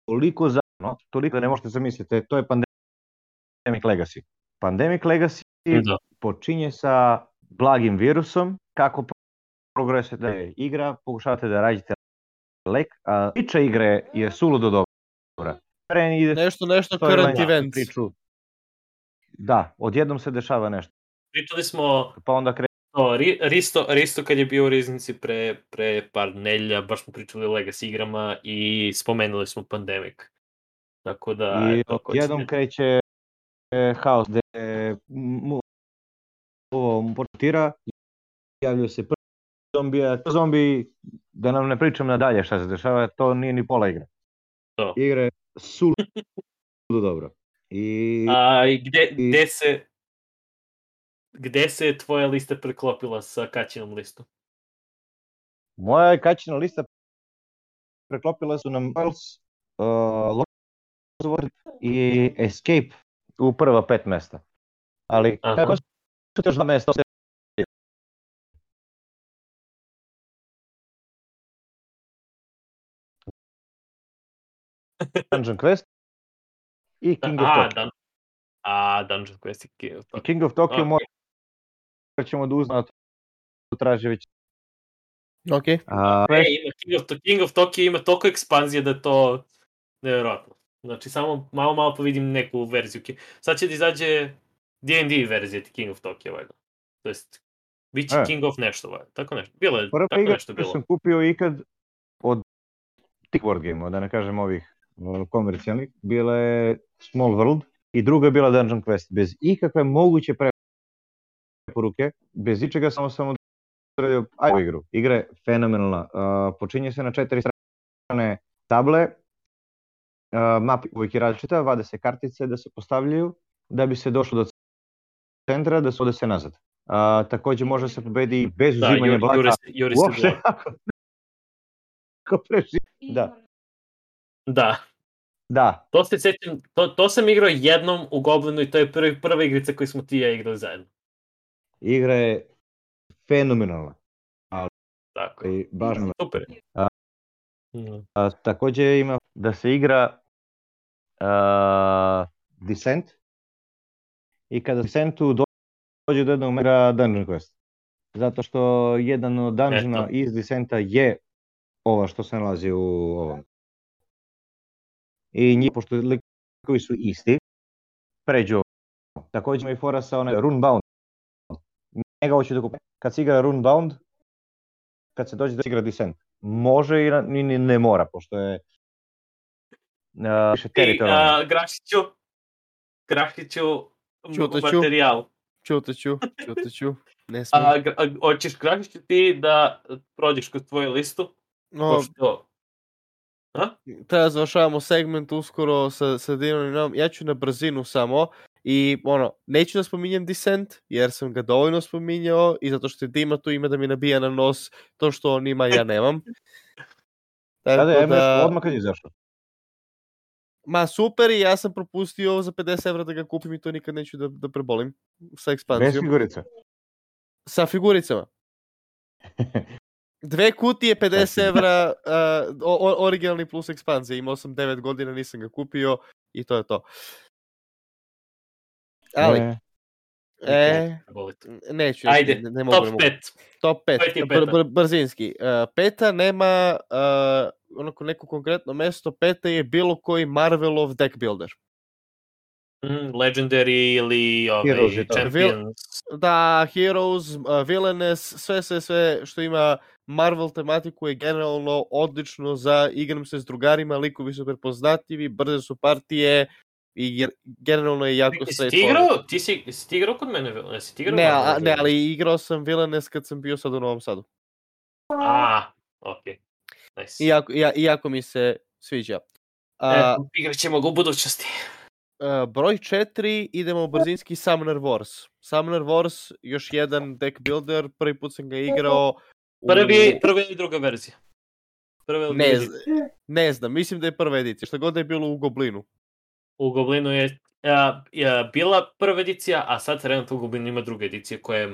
toliko zajedno, toliko da ne možete zamisliti, to je Pandemic Legacy. Pandemic Legacy počinje sa blagim virusom, kako progresujete igra, pokušavate da rađete lek, a priča igre je suludo dobra. Nešto current events. Priču. Da, odjednom se dešava nešto. Pričali smo... Pa onda Risto kad je bio u Riznici pre par nelja, baš smo pričali o Legacy igrama i spomenuli smo Pandemic. Tako da... I odjednom kreće haos gde ovo portira, javljaju se prvi zombi, da nam ne pričam nadalje šta se dešava, to nije ni pola igre. Igre su dobro. Gde se tvoja lista preklopila sa Kaćinom listom? Moja Kaćina lista preklopila su nam i Escape u prva 5 mesta. Ali kako su još 2 mesta? Dungeon Quest i King of Tokyo. Dungeon Quest i King of Tokyo. I King of Tokyo morat ćemo da uzmemo, to traži već. Ok. King of Tokyo ima toliko ekspanzije da je to nevjerojatno. Znači, samo malo pa vidim neku verziju. Sad će da izađe D&D verzija King of Tokyo, valjda. To jest, bit će King of nešto, valjda. Tako nešto. Bilo je tako nešto bilo. Prva sam kupio ikad od tih board game-a, da ne kažem ovih komercijalnih, bila je Small World i druga je bila Dungeon Quest. Bez ikakve moguće preporuke, bez ičega samo sam odradio igru. Igra je fenomenalna. Počinje se na 4 strane table, mapa uvijek je različita, vade se kartice da se postavljaju, da bi se došlo do centra, da se ode se nazad. Također može se pobedi bez uzimanja blaka. Uopšte ako preživi. Da. To se sjećam, to sam igrao jednom u Goblinu i to je prva igrica koju smo ti i ja igrali zajedno. Igra je fenomenalna. Tako je. Super. Također ima da se igra Descent i kada Descentu dođe do jednog mega Dungeon Quest. Zato što jedan od dungeona iz Descenta je ova što se nalazi u ovom. I njih, pošto likovi su isti, pređu ovo. Također ima i fora sa onaj Runebound. Njega hoću da kupim. Kad se igra Runebound, kad se dođe da se igra Descent, može i ne mora, pošto je više teritorijalno. Grašiću materijal. Čutaću. Ne smem. Hoćeš Grašiću ti da prođeš kroz tvoju listu? Treba završavamo segment uskoro sa Dinom. Ja ću na brzinu samo i neću da spominjem Descent jer sam ga dovoljno spominjao i zato što je Dima tu ima da mi nabija na nos to što on ima ja nemam. Odmah kad je izašao. Ma super, i ja sam propustio za 50 evra da ga kupim i to nikad neću da prebolim sa ekspanzijom. Bez figurica? Sa figuricama. 2 kutije 50 evra originalni plus ekspanzija. Imao sam 9 godina, nisam ga kupio i to je to. Ali neću. Ajde, ne mogu, top 5. Brzinski. Peta nema neko konkretno mesto. Peta je bilo koji Marvelov deck builder. Legendary ili Champions. Da, Heroes, Villainous, sve što ima Marvel tematiku je generalno odlično za igram se s drugarima, likovi su prepoznatljivi, brze su partije i generalno je jako straightforward. Ti si igrao kod mene? Ne, ali igrao sam Villainous kad sam bio sad u Novom Sadu. Ok. Nice. I jako mi se sviđa. Igrat ćemo ga u budućnosti. Broj 4, idemo brzinski Summoner Wars. Summoner Wars, još jedan deck builder, prvi put sam ga igrao Prva ili druga verzija? Ne znam, mislim da je prva edicija, šta god da je bilo u Goblinu. U Goblinu je bila prva edicija, a sad trenutno u Goblinu ima druga edicija koja je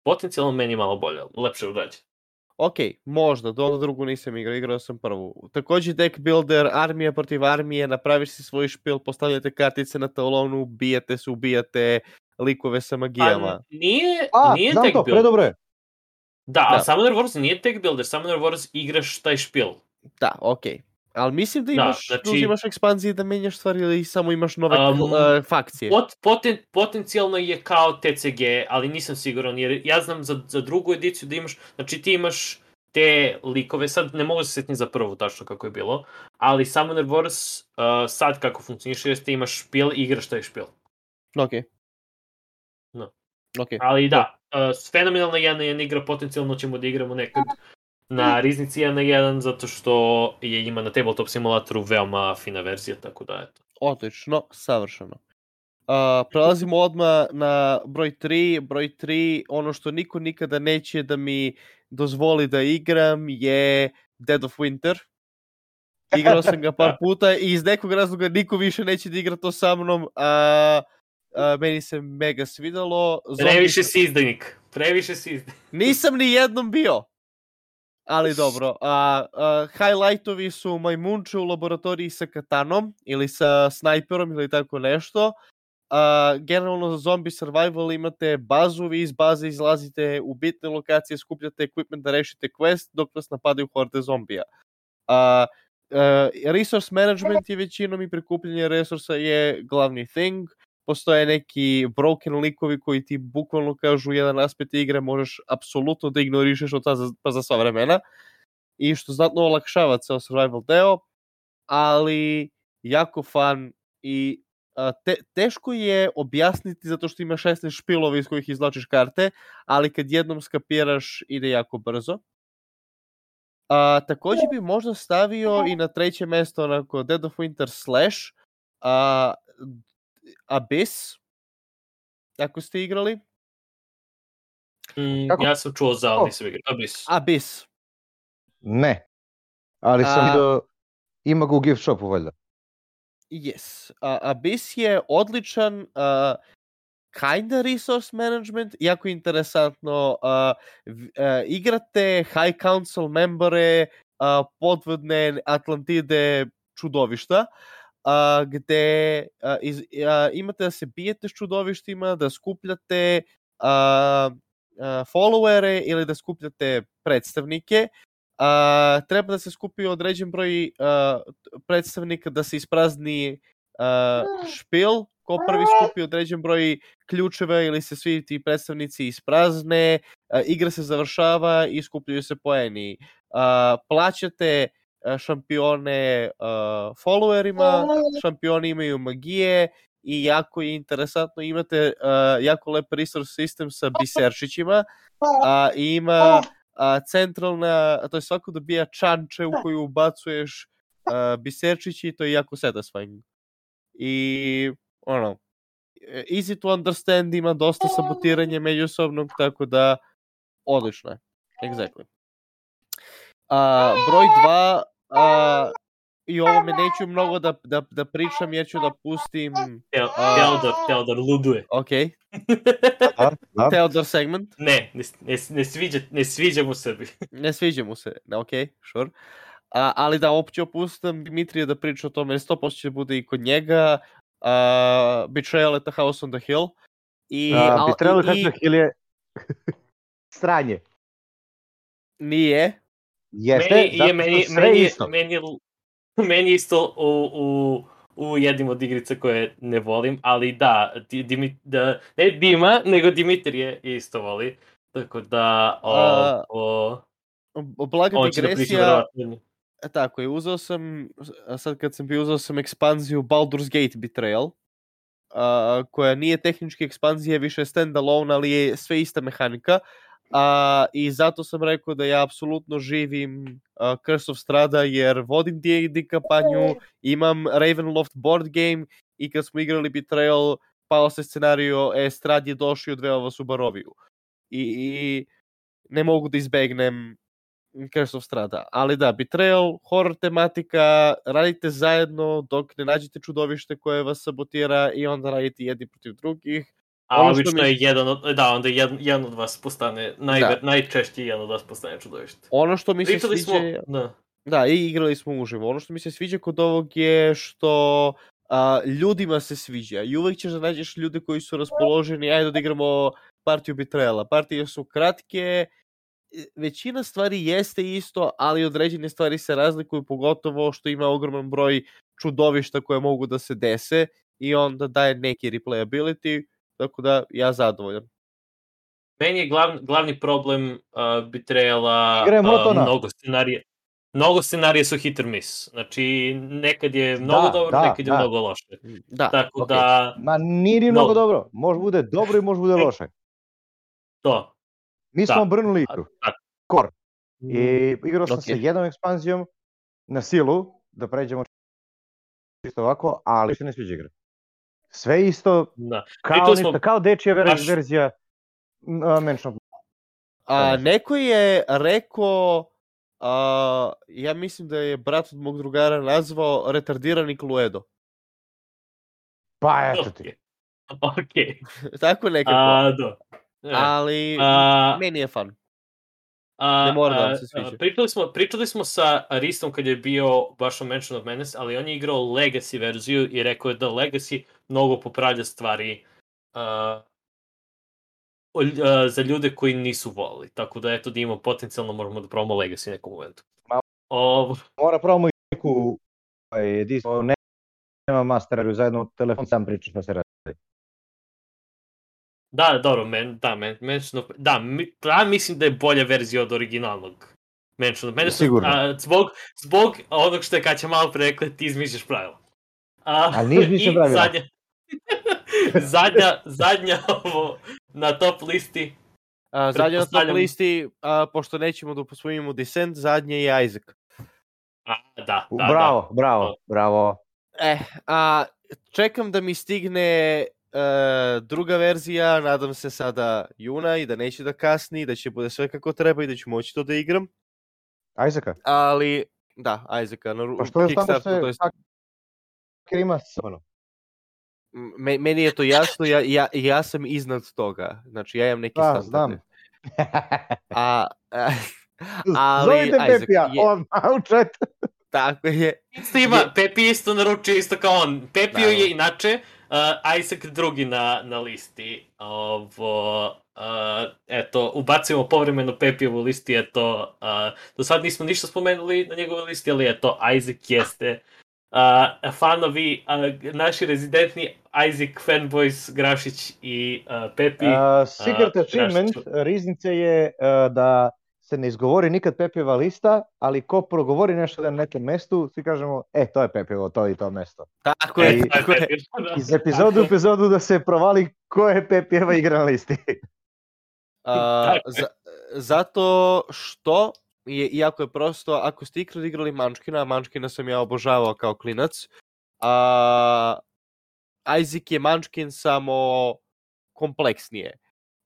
potencijalno meni malo bolja, lepše urađena. Ok, možda, do drugu nisam igrao sam prvu. Također deck builder, armija protiv armije, napraviš si svoj špil, postavljate kartice na talonu, ubijate likove sa magijama. Nije znam deck to, builder. predobre je. Da, a Summoner Wars nije deck builder, Summoner Wars igraš taj špil. Da, ok. Ali mislim da imaš, uzimaš ekspanzije da menjaš stvari ili samo imaš nove fakcije? Potencijalno je kao TCG, ali nisam siguran, jer ja znam za drugu ediciju da imaš, znači ti imaš te likove, sad ne mogu se sjetiti za prvu tačno kako je bilo, ali Summoner Wars sad kako funkcioniše jeste imaš špil i igraš taj špil. Ok. No. Okay. Ali da, fenomenalna 1-1 igra, potencijalno ćemo da igramo nekad na Riznici 1-1, zato što je ima na Tabletop simulatoru veoma fina verzija, tako da eto. Odlično, savršeno. Prelazimo odmah na broj 3. Broj 3, ono što niko nikada neće da mi dozvoli da igram je Dead of Winter. Igrao sam ga par puta i iz nekog razloga niko više neće da igra to sa mnom, meni se mega svidalo. Previše si izdajnik. Nisam ni jednom bio. Ali dobro, highlightovi su majmunče u laboratoriji sa katanom ili sa snajperom ili tako nešto. Generalno za zombie survival imate bazu, vi iz baze izlazite u bitne lokacije, skupljate equipment da rešite quest dok vas napadaju horde zombija. Resource management je većinom i prikupljanje resursa je glavni thing. Postoje neki broken likovi koji ti bukvalno kažu jedan aspekt igre možeš apsolutno da ignorišeš od pa za sva vremena. I što znatno olakšava ceo survival deo, ali jako fun i teško je objasniti zato što ima 16 špilova iz kojih izvlačiš karte, ali kad jednom skapiraš ide jako brzo. Također bi možda stavio i na treće mesto onako Dead of Winter Slash, Abyss, ako ste igrali. Ja sam čuo za, ali nisam igrao. Abyss. Ne, ali sam vidio, ima ga u gift shopu valjda. Yes. Abyss je odličan, kinda resource management, jako interesantno. Igrate High Council membere, podvodne Atlantide čudovišta, gde imate da se bijete s čudovištima, da skupljate followere ili da skupljate predstavnike. Treba da se skupi određen broj predstavnika da se isprazni špil. Ko prvi skupi određen broj ključeva ili se svi ti predstavnici isprazne, igra se završava i skupljaju se poeni. Plaćate šampione followerima, šampioni imaju magije i jako je interesantno, imate jako lep resource system sa biserčićima i ima centralna, to je svako dobija čanče u koju ubacuješ biserčići i to je jako satisfying. I easy to understand, ima dosta sabotiranja međusobnog, tako da odlično je. Exactly. Broj 2, i ovo me neću mnogo da pričam jer ću da pustim Teodor luduje. Ok. Teodor segment. Ne sviđa mu se. Ne sviđa mu se, ok, sure. Ali da, opće opustam Dimitrija da priča o tome, 100% će bude i kod njega. Betrayal at the House on the Hill. Betrayal at the Hill je stranje. Nije. Jeste, meni isto u jednim od igrica koje ne volim, ali da, ne Dima, nego Dimitrije isto voli. Tako da blaga digresija. Tako je, uzeo sam, sad kad sam bio, uzeo sam ekspanziju Baldur's Gate Betrayal, koja nije tehnički ekspanzija, više stand-alone, ali je sve ista mehanika. I zato sam rekao da ja apsolutno živim Curse of Strahda, jer vodim D&D kampanju, imam Ravenloft board game i kad smo igrali Betrayal, pao se scenario, Strad je došao i odveo vas u Baroviju. I ne mogu da izbegnem Curse of Strada. Ali da, Betrayal, horror tematika, radite zajedno dok ne nađete čudovište koje vas sabotira i onda radite jedni protiv drugih. A obično je jedan od vas postane, najčešće jedan od vas postane čudovište. Ono što mi se sviđa... Da, i igrali smo uživo. Ono što mi se sviđa kod ovog je što ljudima se sviđa. I uvek ćeš da nađeš ljude koji su raspoloženi, ajde da igramo partiju Betrayala. Partije su kratke, većina stvari jeste isto, ali određene stvari se razlikuju, pogotovo što ima ogroman broj čudovišta koje mogu da se dese i onda daje neki replayability, tako da ja zadovoljan. Meni je glavni problem Betrayala mnogo scenarija su hit or miss. Znači, nekad je mnogo dobro, nekad je mnogo loše. Tako da... Ma nije ni mnogo dobro. Može bude dobro i može bude loše. To. Mi smo obrnuli igru. Core. I igrao sam sa jednom ekspanzijom na silu, da pređemo čisto ovako, ali se ne sviđa igra. Sve isto, kao dečija verzija Mansion. Neko je rekao, ja mislim da je brat od mog drugara nazvao retardirani Cluedo. Pa eto ti. Okej. Tako nekako. Ali meni je fun. Ne mora da vam se sviđa. Pričali smo sa Ristom kad je bio baš o Mansion of Menace, ali on je igrao Legacy verziju i rekao je da Legacy mnogo popravlja stvari za ljude koji nisu volili. Tako da eto da imamo potencijalno možemo da probamo Legacy nekom momentu. Mora probamo i neku ediciju, nema masteru, zajedno telefon sam priča šta se radi. Da, dobro, mislim da je bolja verzija od originalnog Mansion of Menace. Sigurno. Zbog onog što je Kaća malo pre rekla, ti izmišljaš pravila. Ali nije izmišljam pravila. Zadnja ovo na top listi. Zadnja na top listi, pošto nećemo da posvojimo Descent, zadnje je Isaac. Bravo. Čekam da mi stigne druga verzija, nadam se sada juna i da neće da kasni, da će bude sve kako treba i da ću moći to da igram. Isaaca? Ali, da, Isaaca. Pa što je samo što je ima ono? Meni je to jasno, ja sam iznad toga. Znači, ja imam neki standarde. Znam. Ali, zovite Pepija, on u chat. Tako je. Pepi isto naručio, isto kao on. Pepio je inače Isaac drugi na listi. Eto, ubacujemo povremeno Pepijevu listi, eto, do sad nismo ništa spomenuli na njegovoj listi, ali eto, Isaac jeste fanovi, naši rezidentni Isaac fanboys, Grašić i Pepi. Secret achievement riznice je da se ne izgovori nikad Pepijeva lista, ali ko progovori nešto na nekom mestu, svi kažemo, to je Pepijevo, to i to mesto. Tako je. Iz epizodu u epizodu da se provali ko je Pepijeva igra na listi. Zato što iako je prosto, ako ste ikad igrali Munchkina, Munchkina sam ja obožavao kao klinac, Isaac je Munchkin samo kompleksnije.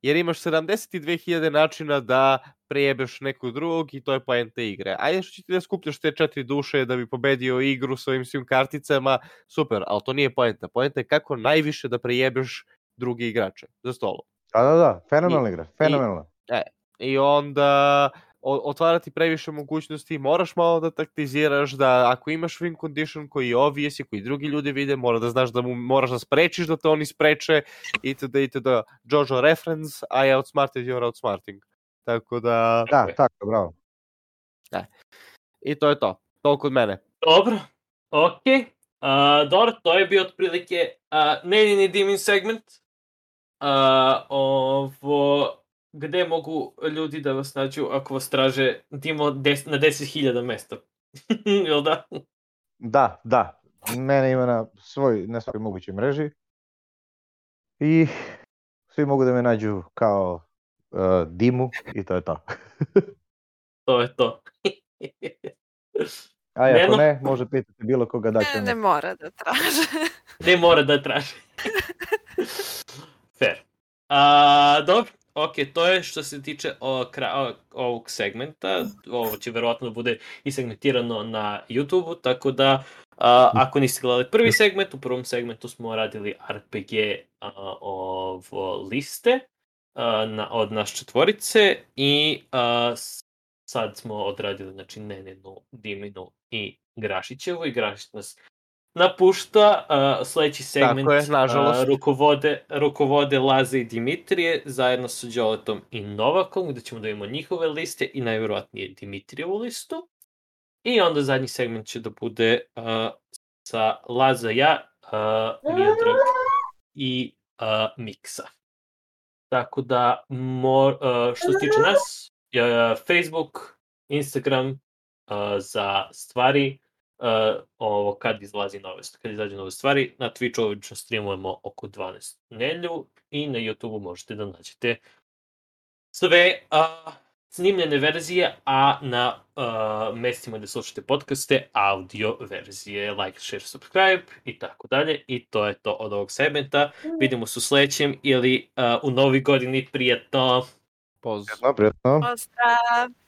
Jer imaš 72.000 načina da prejebeš nekog drugog i to je poenta igre. Ajde što će ti da skupljaš te 4 duše da bi pobedio igru s ovim svim karticama, super, ali to nije poenta. Poenta je kako najviše da prejebeš drugi igrače za stolom. Da, fenomenalna igra, fenomenalna. I onda otvarati previše mogućnosti, moraš malo da taktiziraš, da ako imaš win condition koji je obvious i koji drugi ljudi vide, mora da znaš da moraš da sprečiš da te oni spreče, itd. Jojo reference, I outsmarted, you're outsmarting. Tako da... Da, tako, bravo. I to je to. Toliko od mene. Dobro, okej. Dobro, to je bio otprilike Nenini Dimin segment. Gde mogu ljudi da vas nađu ako vas traže timo na 10.000 mesta? Jel da? Da. Mene ima na svoj mogućoj mreži. I svi mogu da me nađu kao Dimu i to je to. To je to. A ako Neno? ne, može pitati bilo koga da će Ne mora da traže. Ne mora da traži. Fair. Dobro, ok, to je što se tiče ovog segmenta. Ovo će verovatno da bude i segmentirano na YouTube-u, tako da ako niste gledali prvi segment, u prvom segmentu smo radili RPG liste od nas četvorice i sad smo odradili znači Nenenu, Diminu i Grašićevu i Grašić nas napušta. Sledeći segment Tako je, nažalost. rukovode Laza i Dimitrije zajedno sa Đoletom i Novakom, gde ćemo da imamo njihove liste i najverovatnije Dimitrijevu listu. I onda zadnji segment će da bude sa Laza, ja, Miodrag i Miksa. Tako da, što se tiče nas, Facebook, Instagram za stvari, ovo kad izađe nove stvari, na Twitchu obično streamujemo oko 12 nedjelju i na YouTubeu možete da nađete sve snimljene verzije, a na mestima gde slušate podcaste, audio verzije, like, share, subscribe i tako dalje. I to je to od ovog segmenta. Vidimo se u sledećem ili u novoj godini. Prijatno! Pozdrav. Prijatno. Pozdrav!